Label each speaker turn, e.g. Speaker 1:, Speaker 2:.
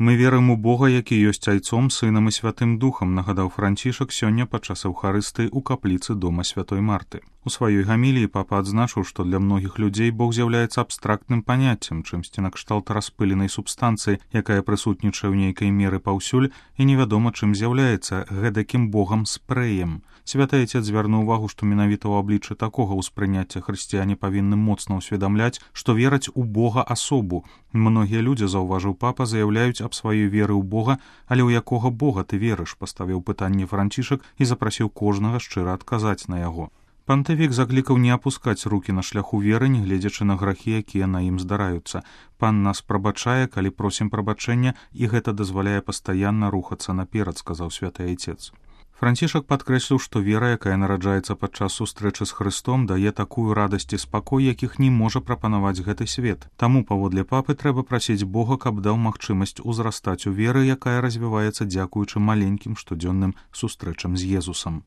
Speaker 1: Мы верым у Бога, які ёсць Айцом, Сынам і Святым Духам, нагадаў Францішак сёння падчас Эўхарыстыі ў капліцы дома Святой Марты. У сваёй гаміліі папа адзначыў, што для многіх людзей Бог з'яўляецца абстрактным паняццем, чымсьці накшталт распыленай субстанцыі, якая прысутнічае ў нейкай меры паўсюль і невядома чым з'яўляецца гэтакім Богам спрэем. Святы Айцец звярнуў увагу, што менавіта ў абліччы такога ўспрыняцця хрысціяне павінны моцна ўсведамляць, што вераць у Бога асобу. Многія людзі, заўважыў папа, заяўляюць аб сваёй веры ў Бога, але ў якога Бога ты верыш, паставіў пытанне Францішак і запрасіў кожнага шчыра адказаць на яго. Пантыфік заклікаў не апускаць рукі на шляху веры, нягледзячы на грахі, якія на ім здараюцца. Пан нас прабачае, калі просім прабачэння, і гэта дазваляе пастаянна рухацца наперад, сказаў святы Айцец. Францішак падкрэсліў, што вера, якая нараджаецца падчас сустрэчы з Хрыстом, дае такую радасць і спакой, якіх не можа прапанаваць гэты свет. Таму, паводле папы, трэба прасіць Бога, каб даў магчымасць узрастаць у веры, якая развіваецца дзякуючы маленькім штодзённым сустрэчам з Езусам.